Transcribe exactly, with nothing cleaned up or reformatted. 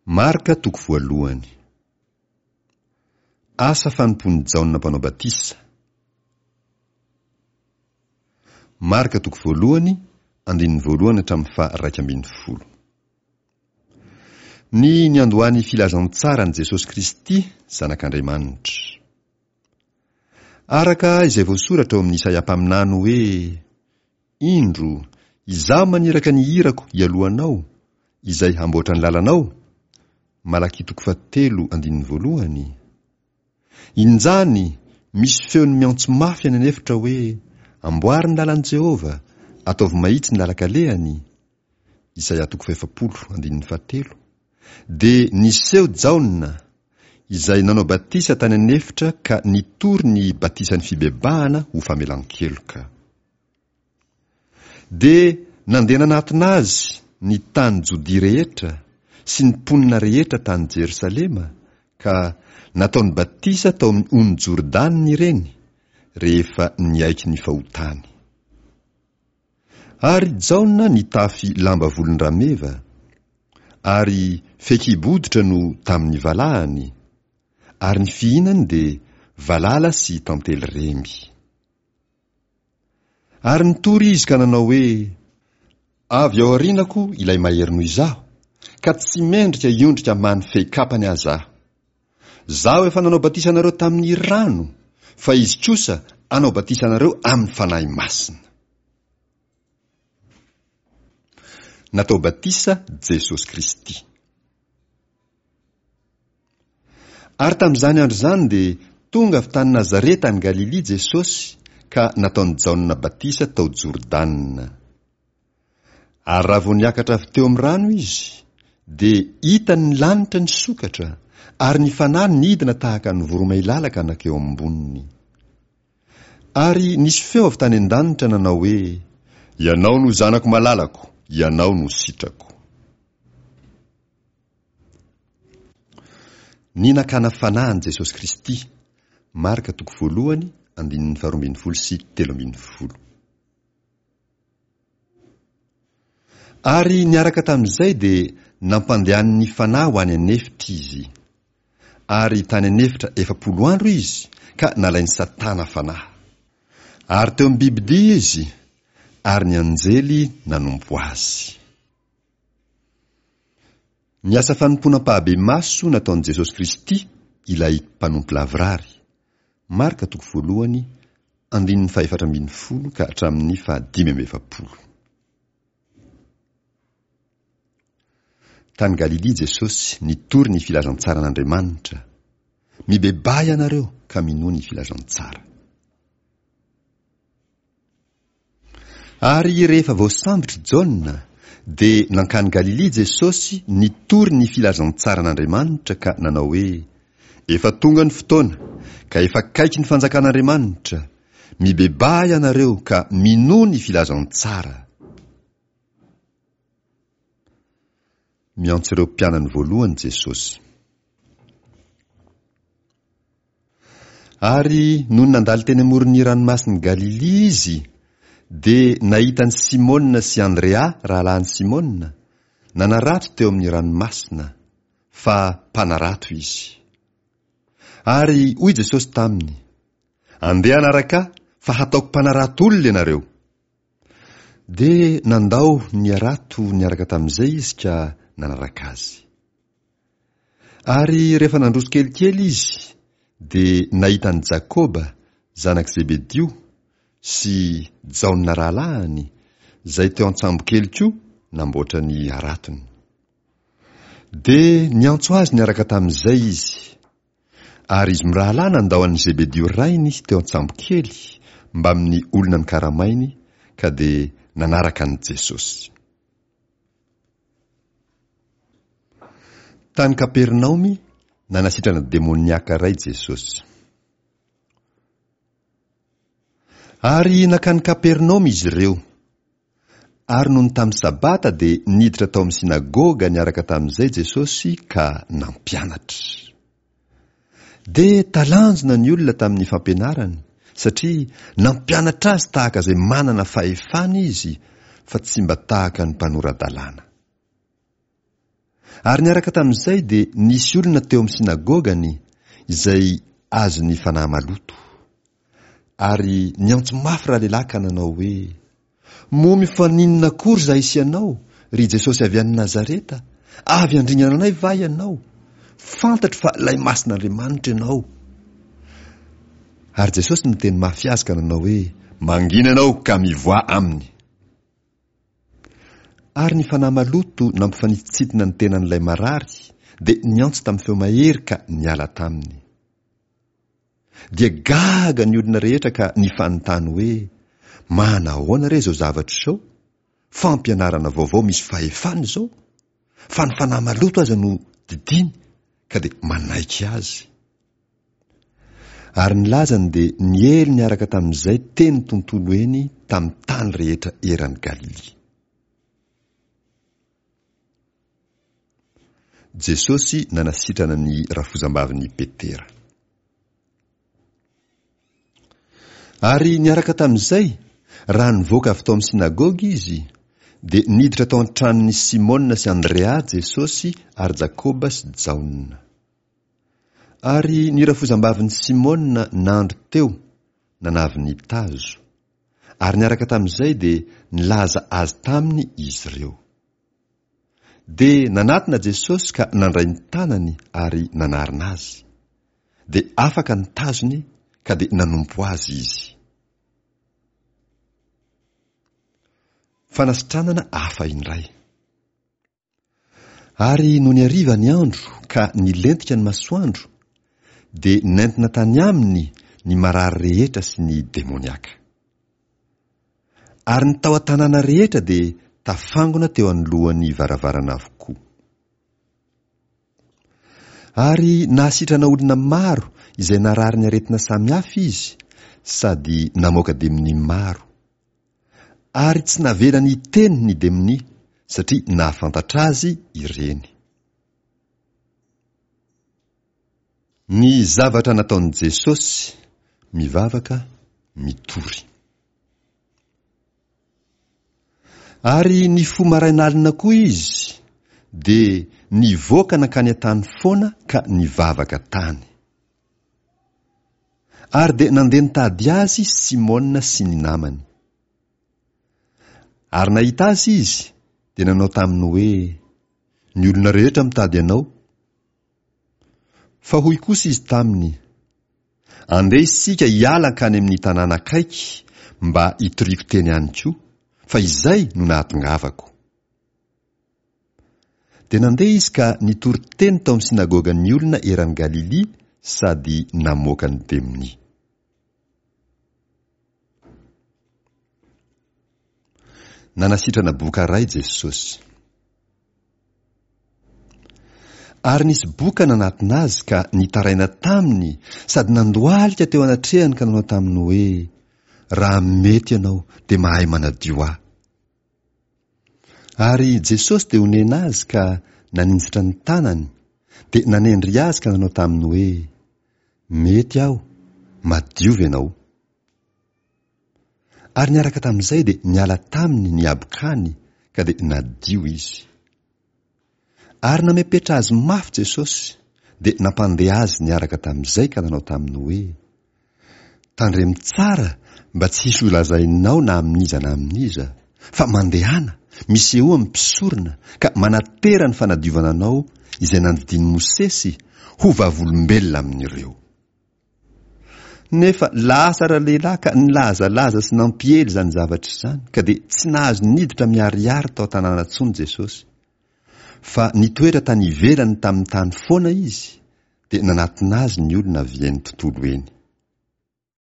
Marka toko voalohany. Asa fanompoan'i Jaona Mpanao Batisa. Marka toko voalohany, andininy voalohany hatramin'ny faha-iraika ambin'ny folo. Ny niandohan'ny filazantsaran'i Jesosy Kristy, Zanak'Andriamanitra. Araka izay voasoratra ao amin'ny Isaia mpaminany hoe, Indro, Izaho maniraka ny irako hialoha anao, izay hamboatra ny lalanao, Malakia toko fahatelo andininy voalohany. Injany misy feon'ny miantso mafy any an'efitra hoe, Amboary ny lalan'i Jehovah, ataovy mahitsy ny lalan-kalehany, Isaia toko fahefapolo andininy fahatelo. Dia niseho Jaona, izay nanao batisa tany an'efitra ka nitory ny batisan'ny fibebahana ho famelan-keloka. Dia nandeha nanatona azy ny tany Jodia rehetra sy ny mponina rehetra tany Jerosalema, ka nataony batisa tao amin'ny ony Jordana ireny, rehefa niaiky ny fahotany. Ary Jaona nitafy lamba volon-drameva, ary fehikibo hoditra no tamin'ny valahany, ary ny fihinany dia valala sy tantely remby. Ary nitory izy ka nanao hoe, Avy ao aorianako ilay mahery noho izaho, ka tsy mendrika hiondrika hamaha ny fehikapany aza aho. Zaho efa nanao batisa anareo tamin'ny rano, fa izy kosa hanao batisa anareo amin'ny Fanahy Masina. Natao batisa Jesosy Kristy. Ary tamin'izany andro izany dia tonga avy tany Nazareta any Galilia Jesosy ka nataon'i Jaona batisa tao Jordana. Ary raha vao niakatra avy teo amin'ny rano izy, dia hitany ny lanitra nisokatra, ary ny Fanahy nidina tahaka ny voromailala ka nankeo amboniny. Ary nisy feo avy tany an-danitra nanao hoe, Ianao no Zanako malalako, Ianao no sitrako. Ny nakana fanahy an'i Jesosy Kristy, Marka toko voalohany, andininy faharoa ambin'ny folo sy telo ambin'ny folo. Ary niaraka tamin'izay dia nampandehanin'ny Fanahy ho any an'efitra izy. Ary tany an'efitra efapolo andro izy ka nalain'i Satana fanahy. Ary teo amin'ny bibidia izy, ary ny anjely nanompo azy. Ny asa fanompoana ampahabemaso nataon'i Jesosy Kristy, ilay mpanompo lavorary. Marka toko voalohany, andininy fahefatra ambin'ny folo ka hatramin'ny fahadimy amby efapolo. Tany Galilia Jesosy nitory ny filazantsaran'Andriamanitra. Mibebaha ianareo ka minoa ny filazantsara. Ary rehefa voasambotra Jaona, dia nankany Galilia Jesosy nitory ny filazantsaran'Andriamanitra ka nanao hoe, Efa tonga ny fotoana, ka efa akaiky ny fanjakan'Andriamanitra. Mibebaha ianareo ka minoa ny filazantsara. Miantso ireo mpianany voalohany Jesosy. Ary nony nandalo teny amoron'ny ranomasin'i Galilia izy, dia nahita an'i Simona sy Andrea rahalahin'i Simona, nanarato teo amin'ny ranomasina, fa mpanarato izy. Ary hoy Jesosy taminy, Andeha hanaraka ahy, fa hataoko mpanarato olona ianareo. Dia nandao ny harato niaraka tamin'izay izy ka nanaraka azy. Ary rehefa nandroso kelikely izy, dia nahita an'i Jakoba, zanak'i Zebedio, sy Jaona rahalahiny, izay teo an-tsambokely koa namboatra ny haratony. Dia niantso azy niaraka tamin'izay izy. Ary izy mirahalahy nandao an'i Zebedio rainy teo an-tsambokely mbamin'ny olona nokaramainy, ka dia nanaraka an'i Jesosy. Tany Kapernaomy, nanasitrana demoniaka iray Jesosy. Ary nankany Kapernaomy izy ireo. Ary nony tamin'ny Sabata dia niditra tao amin'ny synagoga niaraka tamin'izay Jesosy ka nampianatra. Dia talanjona ny olona tamin'ny fampianarany, satria nampianatra azy tahaka izay manana fahefana izy, fa tsy mba tahaka ny mpanora-dalàna. Ary niaraka tamin'izay dia nisy olona teo amin'ny sinagogany izay azon'ny fanahy maloto. Ary niantso mafy ralehilahy ka nanao hoe, Moa mifaninona akory izahay sy ianao, ry Jesosy avy any Nazareta? Avy handringana anay va ianao? Fantatro fa ilay Masin'Andriamanitra ianao. Ary Jesosy niteny mafy azy ka nanao hoe, Mangina ianao ka mivoaha aminy. Ary ny fanahy maloto nampifanitsitsitona ny tenan'ilay marary dia niantso tamin'ny feo mahery ka niala taminy. Dia gaga ny olona rehetra ka nifanontany hoe, Manahoana re izao zavatra izao? Fampianarana vaovao misy fahefana izao? Fa ny fanahy maloto aza no didiany ka dia manaiky azy. Ary ny lazany dia niely niaraka tamin'izay teny tontolo eny tamin'ny tany rehetra eran'i Galilia. Jesosy nanasitrana ny rafozambavin'i Petera. Ary niaraka tamin'izay, raha nivoaka avy tao amin'ny synagoga izy, dia niditra tao an-tranon'i Simona sy Andrea Jesosy ary Jakoba sy Jaona. Ary ny rafozambavin'i Simona nandry teo, nanavy ny tazo. Ary niaraka tamin'izay dia nilaza azy taminy izy ireo. Dia nanatona Jesosy ka nandray ny tanany ary nanarina azy. Dia afaka ny tazony ka dia nanompo azy izy. Fanasitranana hafa indray. Ary nony hariva ny andro ka nilentika ny masoandro, dia nentina tany aminy ny marary rehetra sy ny demoniaka. Ary ny tao an-tanàna rehetra dia tafangona teo anoloan'ny varavarana avokoa. Ary nahasitrana olona maro izay narary ny aretina samihafa izy, sady namoaka demonia maro. Ary tsy navelany hiteny ny demonia, satria nahafantatra azy ireny. Ny zavatra nataon'i Jesosy, mivavaka, mitory. Ary nifoha marain'alina koa izy, dia nivoaka nankany an-tany foana ka nivavaka tany. Ary dia nandeha nitady azy Simona sy ny namany. Ary nahita azy izy, dia nanao taminy hoe, Ny olona rehetra mitady anao. Fa hoy kosa izy taminy, Andeha isika hiala hankany amin'ny tanàna akaiky mba hitoriako teny any koa, fa izay no nahatongavako. Dia nandeha izy ka nitory teny tao amin'ny synagogan'ny olona eran'i Galilia sady namoaka ny demonia. Nanasitrana boka iray Jesosy. Ary nisy boka nanatona azy ka nitaraina taminy sady nandohalika teo anatrehany ka nanao taminy hoe, Raha mety ianao dia mahay manadio ahy. Ary Jesosy dia onena azy ka naninjitra ny tanany, dia nanendry azy ka nanao taminy hoe, Mety aho, madiova ianao. Ary niaraka tamin'izay dia niala taminy ny habokany ka dia nadio izy. Ary namepetra azy mafy Jesosy, dia nampandeha azy niaraka tamin'izay ka nanao taminy hoe, Tandremo tsara mba tsy hisy holazainao na amin'iza na amin'iza, fa mandehana, misehoa amin'ny mpisorona, ka manatera ny fanadiovana anao izay nandidian'i Mosesy ho vavolombelona amin'ireo. Nefa lasa ralehilahy ka nilazalaza sy nampiely izany zavatra izany, ka dia tsy nahazo niditra miharihary tao an-tanàna intsony Jesosy. Fa nitoetra tany ivelany tamin'ny tany foana izy, dia nanatona azy ny olona avy eny tontolo eny.